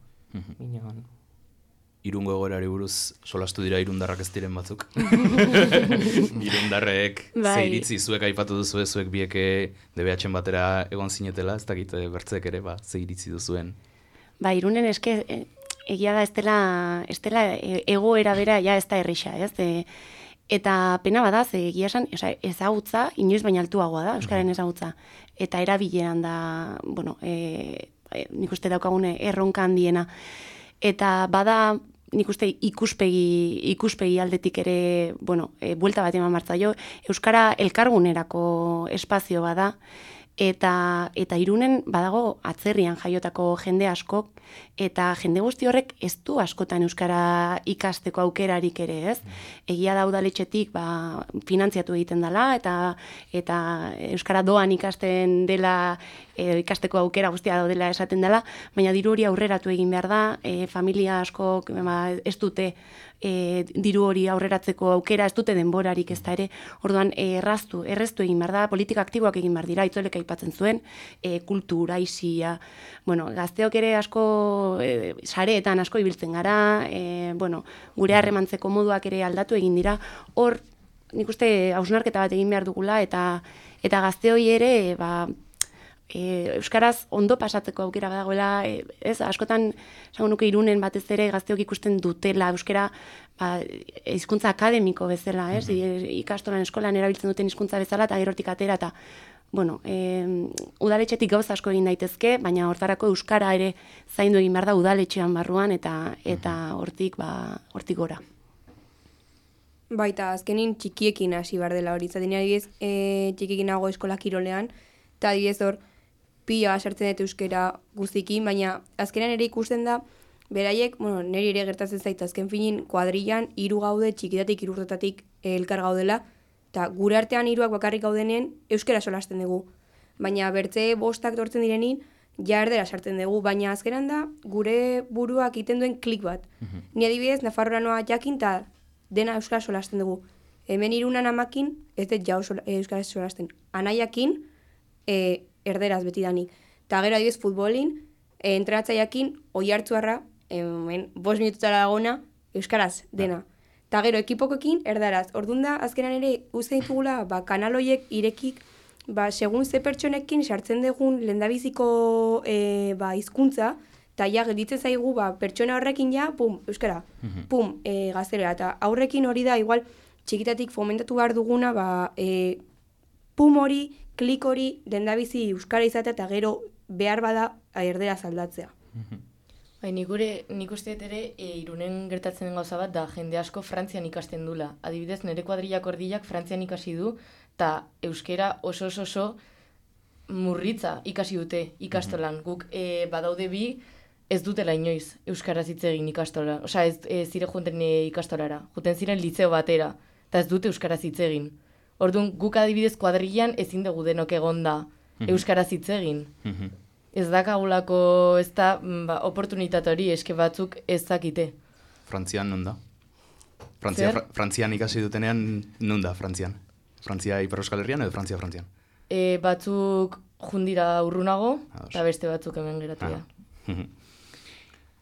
Irungo egoerari buruz solastu dira irundarrak ez diren batzuk. Irundarrek ze iritzi zuek aipatu duzu zuek bieke DBH-en batera egon zinetela, ez dakit bertzek ere, ze iritzi duzuen. Irunen eske egia da ez dela egoera bera ja ez da errisa, ez? Eta pena bada, egia esan, ezagutza inoiz baina altuagoa da, euskaren ezagutza. Eta erabileran da, nik uste daukagune erronka handiena. Eta bada, nik uste ikuspegi aldetik ere, buelta bat eman martza jo, euskara elkargunerako espazio bada, eta Irunen badago atzerrian jaiotako jende askok, eta jende guzti horrek ez du askotan euskara ikasteko aukerarik ere, ez? Egia da udaletxetik finantziatu egiten dela, eta euskara doan ikasten dela, ikasteko aukera guztia daudela esaten dela, baina diru hori aurreratu egin behar da, familia askok ez dute diru hori aurreratzeko aukera, ez dute denborarik ez da ere, orduan erreztu egin behar da, politika aktiboak egin behar dira, Itzolek aipatzen zuen, kultura, aisia, gazteok ere asko, sareetan asko ibiltzen gara, gure harremantzeko moduak ere aldatu egin dira, hor, nik uste hausnarketa bat egin behar dugula, eta gazteoi ere, euskaraz ondo pasatzeko aukera badagoela, askotan, esango nuke Irunen batez ere gazteok ikusten dutela euskara hizkuntza akademiko bezala, ikastolan eskolan erabiltzen duten hizkuntza bezala, eta gerotik atera, eta udaletxetik gauza asko egin daitezke, baina hortarako euskara ere zaindu egin behar da udaletxean barruan, eta hortik gora. Baita, azkenin txikiekin hasi behar dela hori, zaten adibidez, txikiekin nago eskola kirolean, eta adibidez hor, pila sartzen dut euskera guztikin, baina azkenean ere ikusten da, beraiek, niri ere gertatzen zait, azken finin kuadrillan 3 gaude txikitatik 3 urtetatik elkar gaudela, eta gure artean 3 bakarrik gaudenean euskera solasten dugu. Baina bertze 5 tortzen direnin, ja erdera sartzen dugu, baina azkenean da, gure buruak egiten duen klik bat. Ni adibidez, Nafarroa noa jakin, eta dena euskara solasten dugu. Hemen Irunan amakin, ez dut jau euskara solasten. Anaiakin, erderaz beti danik. Eta gero adibidez futbolin, entrenatzaiakin, oi hartzuarra, 5 minututara dagona, euskaraz, dena. Eta gero ekipokoekin, erdaraz. Orduan da, azkenan ere, uste ditugula, kanal horiek irekik, segun ze pertsonekin sartzen dugun lehendabiziko hizkuntza, eta ja, gelditzen zaigu, pertsona horrekin ja, pum, euskara, pum, gaztelera. Eta aurrekin hori da, igual, txikitatik fomentatu behar duguna, pum hori, klik hori, lehendabizi euskara izatea, eta gero behar bada erderaz aldatzea. Nik uste dut ere, Irunen gertatzen den gauza bat, da jende asko Frantzian ikasten dula. Adibidez, nire kuadrillak ordilak Frantzian ikasi du, eta euskera oso murritza ikasi dute ikastolan. Guk badaude bi, ez dutela inoiz euskaraz hitz egin ikastola. Osea, ez zire junten ikastolara. Juten ziren liceo batera, eta ez dute euskaraz hitz egin. Orduan, guk adibidez kuadrillan ezin dugu denok egonda euskaraz hitz egin. Ez dakagulako, ez da, oportunitate hori eske batzuk ez dakite. Frantzian non da? Frantzian ikasi dutenean non da, Frantzian? Frantzia Ipar Euskal Herrian edo Frantzian? Batzuk jundira urrunago, eta beste batzuk hemen geratu da.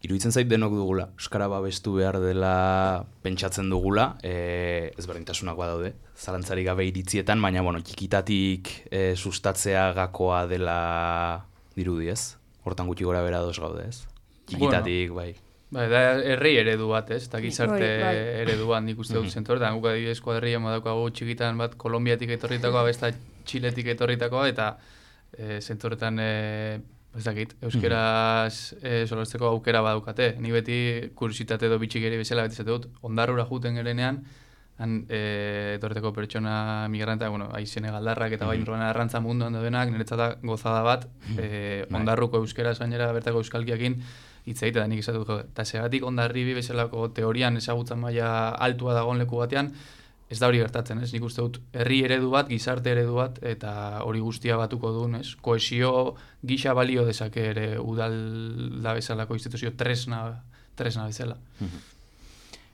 Iruditzen zait denok dugula, euskara babestu behar dela pentsatzen dugula, ezberdintasunak badaude, zalantzarik gabe iritzietan, baina txikitatik sustatzea gakoa dela dirudi, ez? Hortan gutxi gora bera dos gaude, ez? Txikitatik, bai. Da herri eredu bat, ez? Eta gizarte ereduan nik uste dut zentor, eta guk adibidez kuadrilla madaukagu txikitan bat Kolombiatik etorritakoa, besta Txiletik etorritakoa, eta zentorretan ez dakit, euskeraz solasteko aukera badaukate. Ni beti kursitate edo bitxikeri bezala beti zate dut, ondarrura juten gerenean, etorreteko pertsona migranta, senegaldarrak eta bai arrantza munduan daudenak, niretzat gozada bat, ondarruko euskeraz gainera bertako euskalkiakin hitz egite da nik esatu dut. Eta segatik ondarribi bezalako teorian ezagutzen maila altua dagoen leku batean, ez da hori gertatzen, ez? Nik uste dut herri eredu bat, gizarte eredu bat, eta hori guztia batuko duen, ez? Kohesio gisa balio dezake ere udal da bezalako instituzio tresna bezala.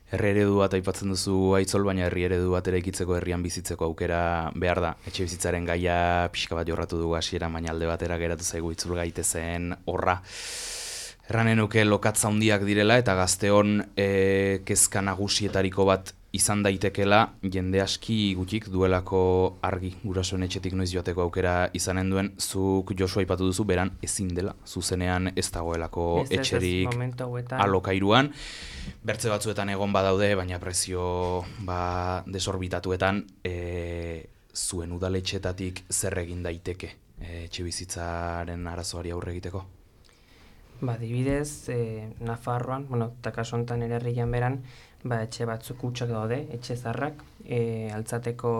Herri eredu bat aipatzen duzu Aitzol, baina herri eredu bat ere ikitzeko herrian bizitzeko aukera behar da. Etxe bizitzaren gaia pixka bat jorratu dugu hasiera, baina alde batera geratu zaigu itzul gaitezen horra. Erranen nuke lokatza handiak direla eta gazteon kezka nagusietariko bat izan daitekela jende aski gutxik duelako argi gurasoen etxetik noiz joateko aukera izanen duen. Zuk Josu aipatu duzu beran ezin dela, zuzenean ez dagoelako etxerik alokairuan. Bertze batzuetan egon badaude, baina prezio desorbitatuetan zuen udaletxetatik zer egin daiteke etxebizitzaren arazoari aurre egiteko? Adibidez, Nafarroan, eta kasu honetan ere herrian beran, etxe batzuk hutsak daude, etxe zarrak, altzateko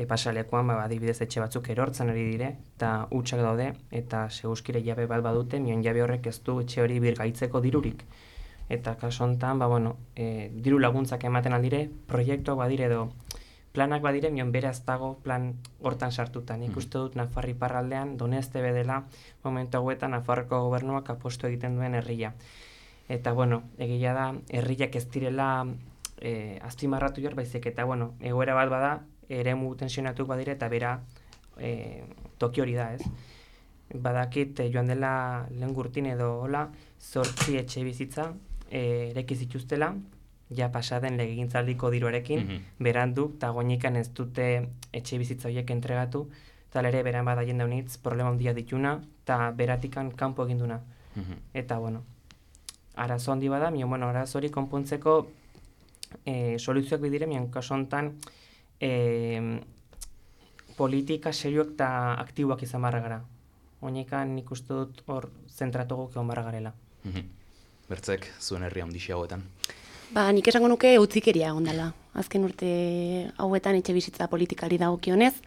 pasalekuan, adibidez etxe batzuk erortzen ari dire, eta hutsak daude, eta seguskire jabe bat badute, mion jabe horrek ez du etxe hori birgaitzeko dirurik. Eta kasu honetan, diru laguntzak ematen aldire, proiektuak badire edo, planak badire, mion bere ez dago plan hortan sartuta. Nik uste dut Nafarri parraldean, Doneste bedela, momentu hauetan Nafarroko gobernuak apostu egiten duen herria. Eta, egia da, herriak ez direla azpimarratu behar baizik, eta, egoera bat bada, eremu tensionatuk badire, eta bera toki hori da, ez? Badakit, joan dela lehen gurtin edo hola, 8 etxe bizitza ereki zituztela, ja pasaden legegintzaldiko diruarekin, berandu, eta goinikan ez dute etxe bizitza horiek entregatu, eta ere beran bada jende honitz problema handia dituna, eta beratikan kanpo eginduna. Eta, arazo handi bada, arazo hori konpontzeko soluzioak bidire, kasu honetan politika serioak eta aktiboak izan barra gara. Goinikan nik uste dut hor zentratugu egon barra garela. Bertzek, zuen herri handixi hauetan? Nik esango nuke utzikeria egon dela. Azken urte hauetan etxe bizitza politikari dagokionez,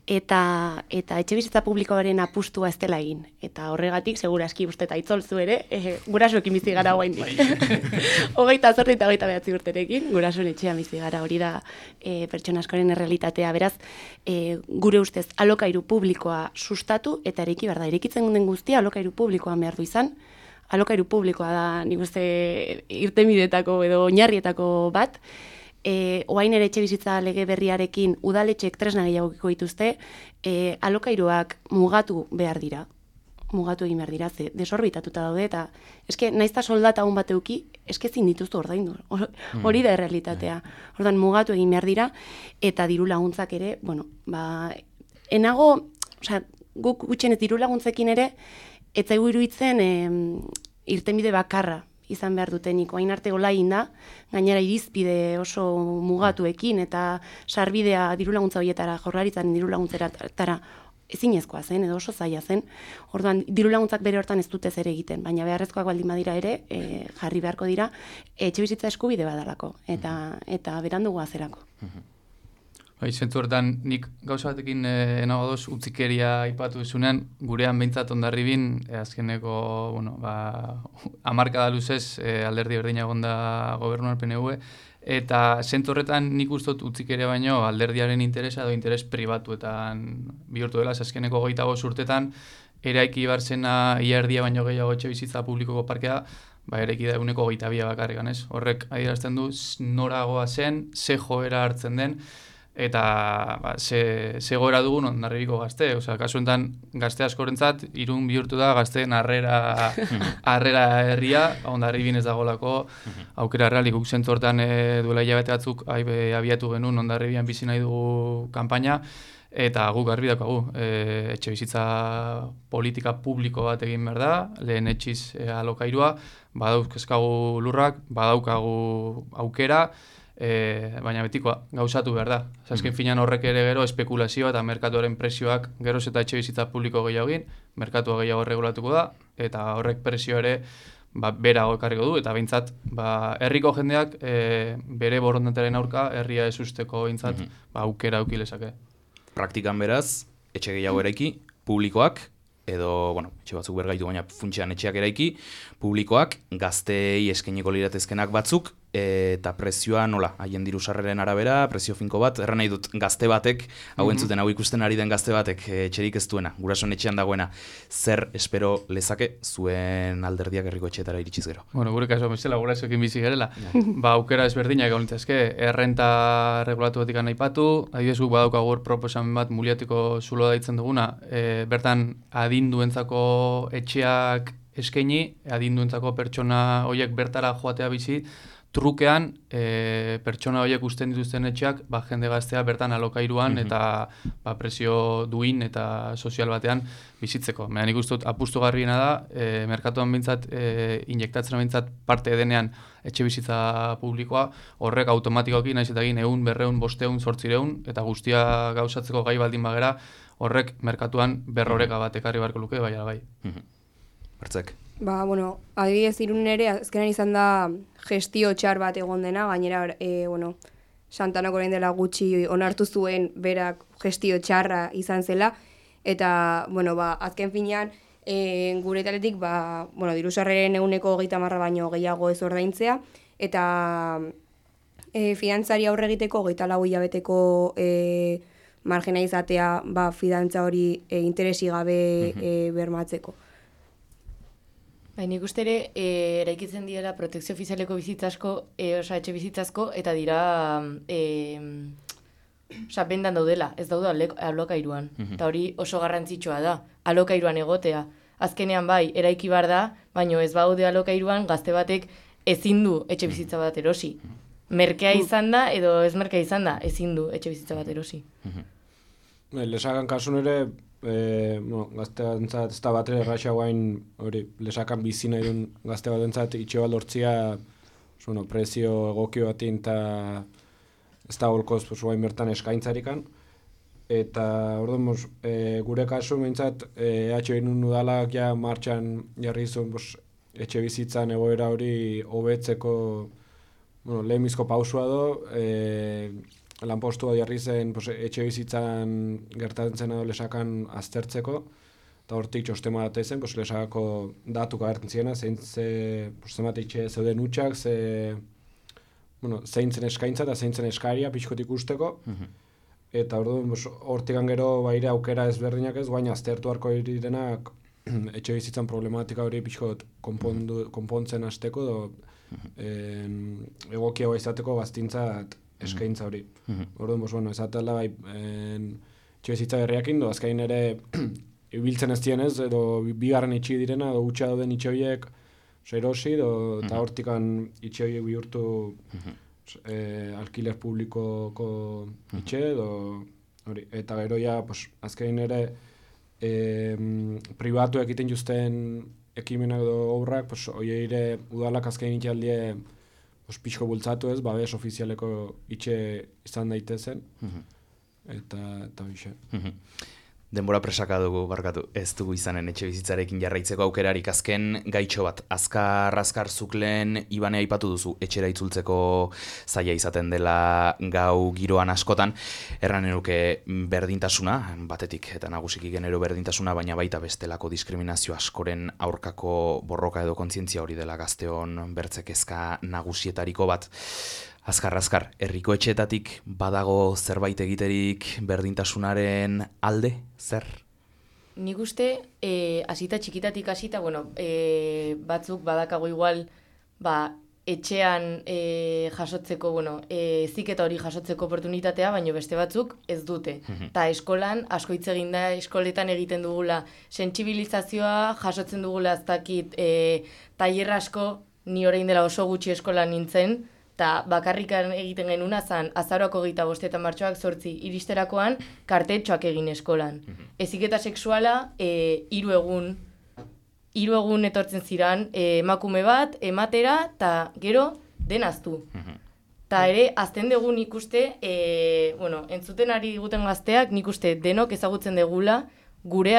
eta etxe bizitza publikoaren apustua ez dela egin. Eta horregatik, seguraski uste eta itzolzu ere, gurasoekin bizi gara guaindik. 28 eta 29 urterekin, gurasoen etxean bizi gara, hori da pertsona askoren errealitatea. Beraz, gure ustez alokairu publikoa sustatu eta eraiki behar da. Eraikitzen den guztia alokairu publikoan behar du izan. Alokairu publikoa da, nik uste, irtenbideetako edo oinarrietako bat. Oain ere etxe bizitza lege berriarekin udaletxek tresna gehiagokiko dituzte, alokairuak mugatu behar dira. Mugatu egin behar dira, ze desorbitatuta daude, eta eske naizta soldata hon bat euki, eske ezin dituztu ordaindu. Hori da errealitatea. Ordan mugatu egin behar dira, eta diru laguntzak ere, enago, guk gutxenez diru laguntzekin ere, ez zaigu iruditzen irtenbide bakarra izan behar dutenik. Oain arte hola egin da, gainera irizpide oso mugatuekin eta sarbidea diru laguntza horietara, Jaurlaritzaren diru laguntzeratara ezinezkoa zen edo oso zaila zen. Orduan, diru laguntzak bere hortan ez dute zer egiten, baina beharrezkoak baldin badira ere, jarri beharko dira, etxe bizitza eskubide badalako eta berandu goazerako. Zentzu hortan, nik gauza batekin enagodoz utzikeria aipatu esunean, gurean behintzat ondarribin, azkeneko, hamarkada luzez alderdi berdina egonda gobernuan PNV, eta zentzu horretan nik ustot utzikeria baino alderdiaren interesa edo interes pribatuetan bihurtu dela, azkeneko 25 urtetan, eraiki barzena iardia baino gehiago etxe bizitza publikoko parkea, eraiki da 122 bakarrik, ez? Horrek adierazten du noragoa zen, ze joera hartzen den, eta ze goera dugun Hondarribiko gazte. Kasu enten gazte askorentzat, Irun bihurtu da gazteen harrera herria, Hondarribin ez dagolako aukera realik. Guk zentzu hortan duela hilabete batzuk abiatu genuen Hondarribian bizi nahi dugu kanpaina, eta guk garbi daukagu, etxe bizitza politika publiko bat egin behar da, lehen etxiz alokairua, badauzkezkagu lurrak, badaukagu aukera, baina betikoa, gauzatu behar da. Azken finan horrek ere gero espekulazioa eta merkatuaren presioak geroz eta etxe bizitza publiko gehiago egin, merkatua gehiago regulatuko da, eta horrek presio ere berago ekarriko du, eta behintzat herriko jendeak bere borondataren aurka herria ez usteko behintzat aukera aukilezake. Praktikan beraz, etxe gehiago eraiki, publikoak, edo, etxe batzuk bergaitu, baina funtsean etxeak eraiki, publikoak, gazteei eskainiko liratezkenak batzuk, eta prezioa nola, haien diru sarreren arabera, prezio finko bat, erran nahi dut gazte batek, hau entzuten, hau ikusten ari den gazte batek, etxerik ez duena, gurasoen etxean dagoena, zer espero lezake zuen alderdiak herriko etxeetara iritsiz gero? Gure kaso bezala gurasoekin bizi gerela, aukera ezberdinak egon litzazke, errenta regulatu batik aipatu, adibidez guk badaukagu proposamen bat muliatiko zulo daitzen duguna, bertan adinduentzako etxeak eskaini adinduentzako pertsona horiek bertara joatea bizi, trukean pertsona horiek usten dituzten etxeak jende gaztea bertan alokairuan eta presio duin eta sozial batean bizitzeko. Baina nik uste dut apustugarriena da, merkatuan bintzat, injektatzen bintzat parte denean etxe bizitza publikoa, horrek automatikoki naiz eta egin 100, 200, 500, 800 eta guztia gauzatzeko gai baldin bagera, horrek merkatuan berroreka bat ekarri beharko luke, bai ala bai. Bertzek. Bueno, adibidez Irun ere, azkenan izan da gestio txar bat egon dena, gainera, Santanak orain dela gutxi onartu zuen berak gestio txarra izan zela, eta, azken finean, gure taletik, dirusarreren 30% baino gehiago ez ordaintzea, eta fidantzari aurre egiteko 24 hilabeteko margena izatea fidantza hori interesi gabe bermatzeko. Nik uste ere, eraikitzen dira protekzio ofizialeko bizitzasko, etxe bizitzasko, eta dira bendan daudela, ez daude alokairuan. Eta hori oso garrantzitsua da, alokairuan egotea. Azkenean bai, eraiki bar da, baino ez baude alokairuan, gazte batek ezin du etxe bizitza bat erosi. Merkea izan da, edo ez merkea izan da, ezin du etxe bizitza bat erosi. Lesakan kasun ere, gazte batentzat ez da bat ere erraxa guain lesakan bizi nahi duen gazte batentzat itxe bat lortzia prezio egokio batin eta ez da holkoz guain bertan eskaintzarikan. Eta orduan, gure kasu behintzat EH udalak ja martxan jarri zuen etxe bizitzan egoera hori hobetzeko lehenbizko pausua do, lanpostua jarri zen etxe bizitzan gertatzen zena lesakan aztertzeko, eta hortik txostema bat ezen, lesakako datuka agertzen ziena, zenbat etxe zeuden hutsak, zein zen eskaintza eta zein zen eskaria pixkot ikusteko, eta orduan hortikan gero baire aukera ezberdinak ez, guain aztertu harko direnak etxe bizitzan problematika hori pixkot konpontzen hasteko egokiagoa izateko gaztintzat eskaintza hori. Orduan, ezatela etxe bizitza berriakin, azkain ere ibiltzen ez dienez, edo bigarren itxi direna, edo hutsa dauden itxe horiek erosi, eta hortikan itxe horiek bihurtu alkiler publikoko itxe, eta gero ja, azkain ere pribatu egiten juzten ekimenak edo obrak, hori ere udalak azkain itxaldie pixko bultzatu ez, babes ofizialeko itxe izan daitezen, eta bixe. Denbora presaka dugu, barkatu, ez dugu izanen etxe bizitzarekin jarraitzeko aukerarik. Azken gaitxo bat, azkar zuklen Ibane aipatu duzu, etxera itzultzeko zaila izaten dela gau giroan askotan, erran eruke berdintasuna, batetik eta nagusiki genero berdintasuna, baina baita bestelako diskriminazio askoren aurkako borroka edo kontzientzia hori dela gazteon bertzekezka nagusietariko bat. Azkar, herriko etxeetatik badago zerbait egiterik berdintasunaren alde, zer? Nik uste, hasita txikitatik hasita, batzuk badakago igual, etxean jasotzeko, heziketa hori jasotzeko oportunitatea, baina beste batzuk ez dute. Eta eskolan, asko hitz egin da, eskoletan egiten dugula sentsibilizazioa, jasotzen dugula ez dakit tailer asko, ni orain dela oso gutxi eskolan nintzen, eta bakarrikan egiten genuna zan azaroako 25 eta martxoak 8 iristerakoan kartetxoak egin eskolan. Heziketa sexuala 3 egun etortzen ziran emakume bat, ematera, eta gero denaztu. Eta ere, azten dugu nik uste, entzuten ari diguten gazteak, nik uste denok ezagutzen degula, gure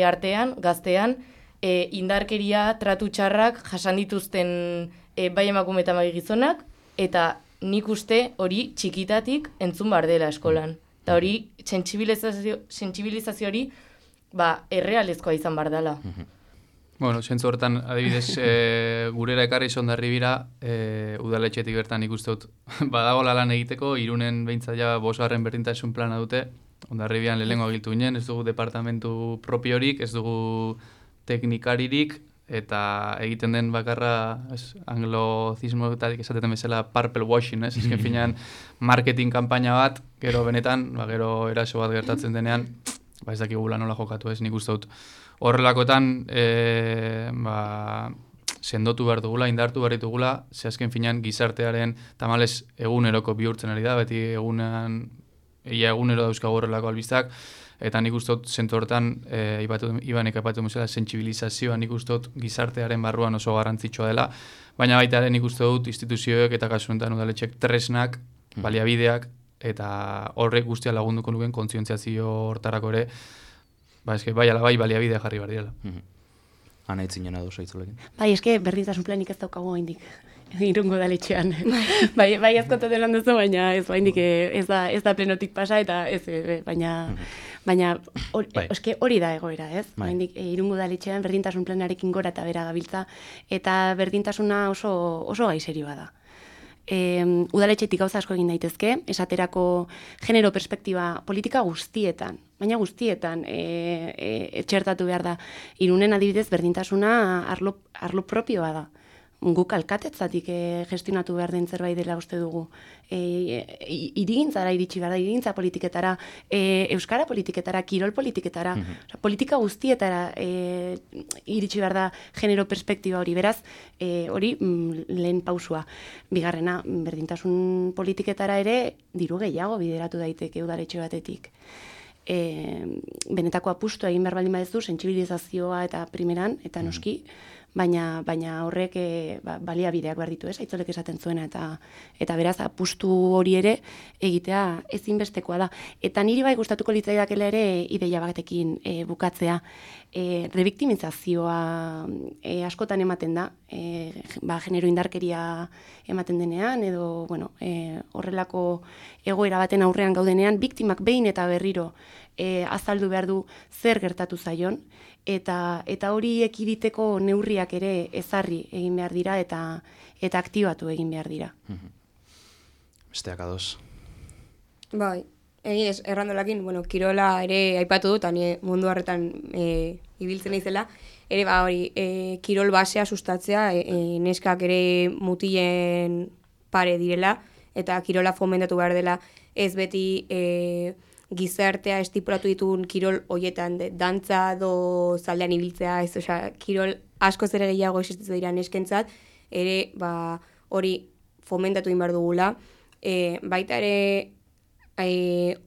artean, gaztean, indarkeria, tratu txarrak jasan dituzten bai emakume eta bai gizonak, eta nik uste hori txikitatik entzun bar dela eskolan. Eta hori, sentsibilizazio hori, errealezkoa izan bar dela. Zentzu hortan, adibidez, gurera ekarri zondarri bira, udaletxetik bertan ikuste dut. Badago lan egiteko, Irunen behintzat ja 5. berdintasun plana dute, Hondarribian lehengo agiltu ginen, ez dugu departamentu propiorik, ez dugu teknikaririk, eta egiten den bakarra anglozismoetatik esateten bezala purple washing, ez? Ezken finean marketing kanpaina bat, gero benetan, gero eraso bat gertatzen denean, ez dakigula nola jokatu, ez? Nik uste dut horrelakoetan sendotu behar dugula, indartu behar ditugula, ze azken finean gizartearen tamales eguneroko bihurtzen ari da, beti egunero dauzkagu horrelako albistak, eta nik uste dut zentu hortan, Ibanek aipatu musela, sentsibilizazioa nik uste dut gizartearen barruan oso garrantzitsua dela, baina baita ere nik uste dut instituzioek eta kasu honetan udaletxek tresnak, baliabideak, eta horrek guztia lagunduko nuken kontzientziazio hortarako ere, bai ala bai baliabidea jarri behar direla. Ana itzinen ados aitzulekin. Bai, eske berdintasun planik ez daukagu oraindik. Irungo udaletxean. bai askotatzen lan duzu, baina ez oraindik ez da plenotik pasa eta ez baina hori da egoera, ez? Oraindik Irungo udaletxean berdintasun planarekin gora eta bera gabiltza eta berdintasuna oso gai serioa da. Udaletxetik gauza asko egin daitezke, esaterako genero perspektiba politika guztietan, baina guztietan etxertatu behar da. Irunen adibidez berdintasuna arlo propioa da. Guk alkatetzatik gestionatu behar den zerbait dela uste dugu. Hirigintzara iritsi behar da, hirigintza politiketara, euskara politiketara, kirol politiketara, politika guztietara iritsi behar da genero perspektiba hori. Beraz, hori lehen pausua. Bigarrena, berdintasun politiketara ere diru gehiago bideratu daiteke udaletxe batetik. Benetako apustua egin behar baldin badezu, sentsibilizazioa eta primeran, eta noski, baina horrek baliabideak behar ditu, Aitzolek esaten zuena, eta beraz apustu hori ere egitea ezinbestekoa da. Eta niri bai gustatuko litzaidakela ere ideia batekin bukatzea. Rebiktimizazioa askotan ematen da, genero indarkeria ematen denean, edo horrelako egoera baten aurrean gaudenean, biktimak behin eta berriro azaldu behar du zer gertatu zaion, eta hori ekiditeko neurriak ere ezarri egin behar dira eta aktibatu egin behar dira. Besteak ados. Bai, egiz, errandolakin, kirola ere aipatu dut, ni mundu harretan ibiltzen izela, ere hori, kirol basea sustatzea, neskak ere mutilen pare direla, eta kirola fomentatu behar dela, ez beti gizartea estipulatu ditun kirol hoietan, dantza do zaldean ibiltzea, kirol asko ere gehiago existitzen dira neskentzat, ere hori fomentatu egin behar dugula. Baita ere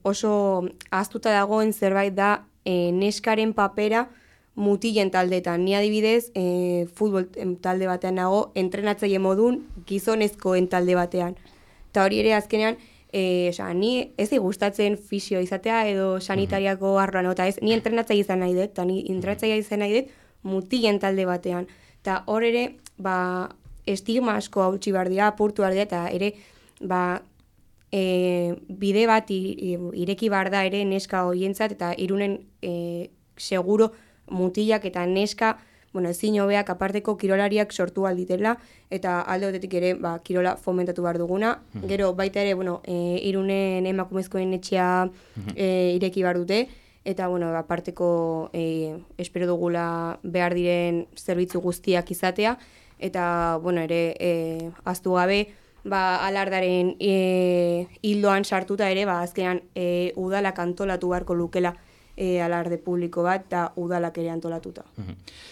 oso ahaztuta dagoen zerbait da neskaren papera mutilen taldeetan. Ni adibidez, futbol talde batean nago, entrenatzaile modun gizonezkoen talde batean. Eta hori ere azkenean, ni ez gustatzen fisio izatea edo sanitariako arloan, eta ez, ni entrenatzaile izan nahi dut, eta ni entrenatzaile izan nahi dut mutilen talde batean. Eta hor ere, estigma asko hautsi behar dira, apurtu behar dira, eta ere, bide bat ireki behar da ere neska horientzat, eta Irunen seguro mutilak eta neska, ezin hobeak aparteko kirolariak sortu alditela, eta alde batetik ere kirola fomentatu behar duguna. Gero baita ere, Irunen emakumezkoen etxea ireki behar dute, eta aparteko espero dugula behar diren zerbitzu guztiak izatea, eta ere ahaztu gabe, alardaren hildoan sartuta ere, azkenan udalak antolatu beharko lukela alarde publiko bat, eta udalak ere antolatuta.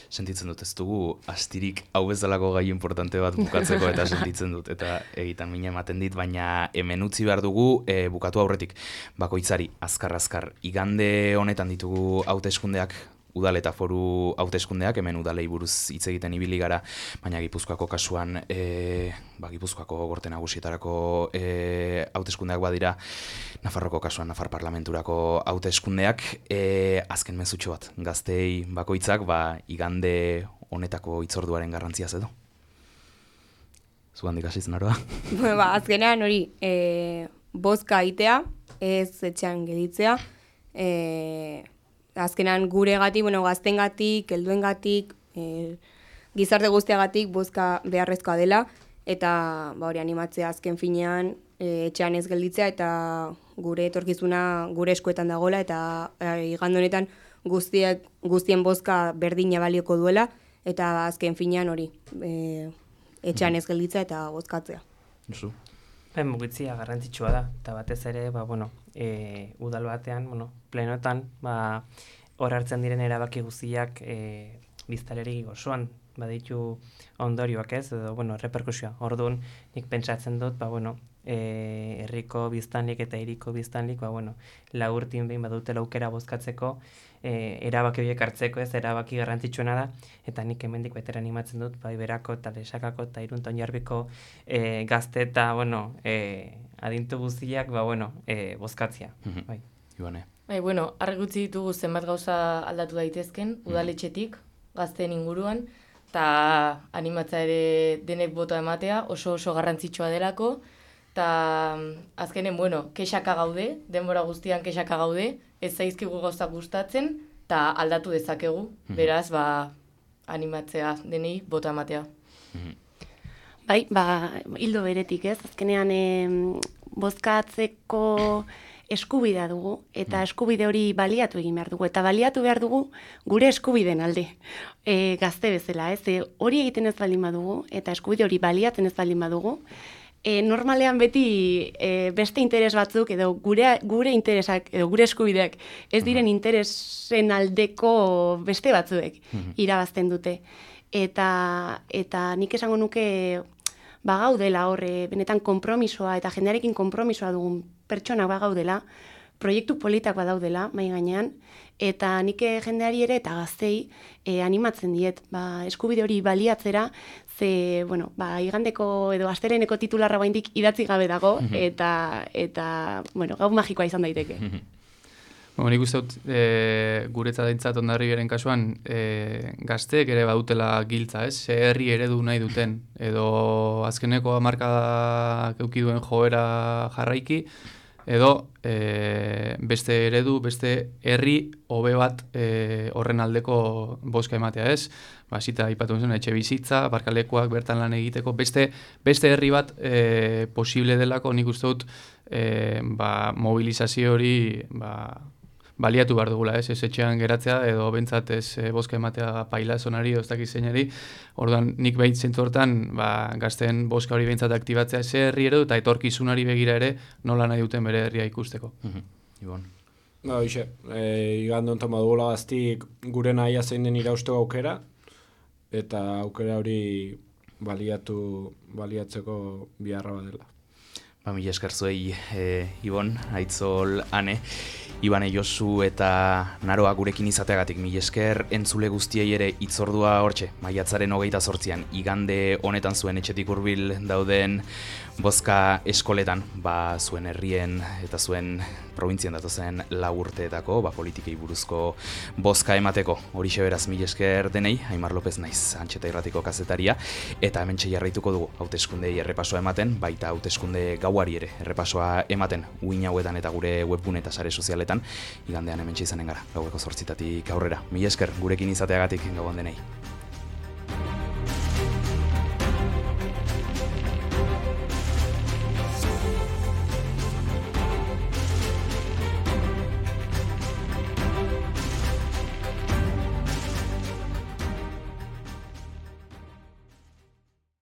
Sentitzen dut, ez dugu astirik hau bezalako gai importante bat bukatzeko, eta sentitzen dut, eta egitan mina ematen dit, baina hemen utzi behar dugu bukatu aurretik. Bakoitzari, azkar, igande honetan ditugu hauteskundeak, udal eta foru hauteskundeak, hemen udalei buruz hitz egiten ibili gara, baina Gipuzkoako kasuan, Gipuzkoako gorte nagusietarako hauteskundeak badira, Nafarroko kasuan Nafar Parlamenturako hauteskundeak, azken mezutxo bat, gaztei bakoitzak, igande honetako hitzorduaren garrantziaz edo. Zugandik hasitzen aroa? Azkenean hori, bozka aitea, ez etxean geditzea, azkenan guregatik, gaztengatik, helduengatik, gizarte guztiagatik bozka beharrezkoa dela, eta hori animatzea azken finean etxean ez gelditzea, eta gure etorkizuna gure eskuetan dagoela, eta igande honetan guztien bozka berdina balioko duela, eta azken finean hori etxean ez gelditzea eta bozkatzea. Josu? Mugitzea garrantzitsua da, eta batez ere, udal batean, plenotan, hor hartzen diren erabaki guztiak biztanleri osoan baditu ondorioak ez, edo, bueno, reperkusioa. Orduan, nik pentsatzen dut, herriko biztanlik eta hiriko biztanlik, urtin behin badutela aukera bozkatzeko, erabaki horiek hartzeko, ez, erabaki garrantzitsuena da, eta nik hemendik baitera animatzen dut, Iberako eta Lesakako eta Irun eta Oinarbiko gazte eta, adintu guztiak, bozkatzia. Bai. Ibane. Bai, argi utzi ditugu zenbat gauza aldatu daitezken, udaletxetik, gazteen inguruan, eta animatza ere denek botoa ematea, oso garrantzitsua delako, eta azkenen, kexaka gaude, denbora guztian kexaka gaude, ez zaizkigu gauzak gustatzen, eta aldatu dezakegu, beraz, animatzea denei botoa ematea. Bai, hildo beretik ez, azkenean bozkatzeko eskubidea dugu, eta eskubide hori baliatu egin behar dugu, eta baliatu behar dugu gure eskubideen alde, gazte bezala, ez, hori egiten ez baldin badugu, eta eskubide hori baliatzen ez baldin badugu, normalean beti beste interes batzuk, edo gure interesak, edo gure eskubideak, ez diren interesen aldeko beste batzuek irabazten dute. Eta nik esango nuke bagaudela horre, benetan konpromisoa, eta jendearekin konpromisoa dugun pertsonak bagaudela, proiektu politak badaudela, mai gainean, eta nik jendeari ere eta gaztei animatzen diet, eskubide hori baliatzera, ze, igandeko edo asteleheneko titularra baindik idatzi gabe dago, eta gau magikoa izan daiteke. Nik uste dut, guretzat dintzat Hondarribiaren kasuan, gazteek ere badutela giltza, ez? Herri eredu nahi duten, edo azkeneko hamarkadak eduki duen joera jarraiki, edo beste eredu, beste herri hobe bat horren aldeko bozka ematea, ez? Zita aipatu zen, etxe bizitza, barkalekuak bertan lan egiteko, beste herri bat posible delako, nik uste dut mobilizazio hori baliatu behar dugula, ez etxean geratzea, edo bentsat ez bozka ematea paila zonari, edo ez dakiz zeinari. Orduan, nik behit zentu hortan, gazten bozka hori bentsat aktibatzea ez herri eredu, eta etorkizunari begira ere, nola nahi duten bere herria ikusteko. Ibon. Igandon toma dugula gaztik gure nahia zein den irausteko aukera, eta aukera hori baliatzeko biharra badela. Mila esker zuei, Ibon, Aitzol, Ane, Ibane, Josu eta Naroa gurekin izateagatik. Mila esker entzule guztiei ere hitzordua hortxe, maiatzaren 28an, igande honetan zuen etxetik hurbil dauden bozka eskoletan, zuen herrien eta zuen probintzien datozen 4 urteetako, politikei buruzko bozka emateko. Horixe beraz, mila esker denei, Aimar López naiz, Antxeta Irratiko kazetaria, eta hementxe jarraituko dugu hauteskundei errepasoa ematen, baita hauteskunde gauari ere errepasoa ematen, uin hauetan eta gure webgune eta sare sozialetan, igandean hementxe izanen gara, gaueko 8 aurrera. Mila esker gurekin izateagatik, gauan denei.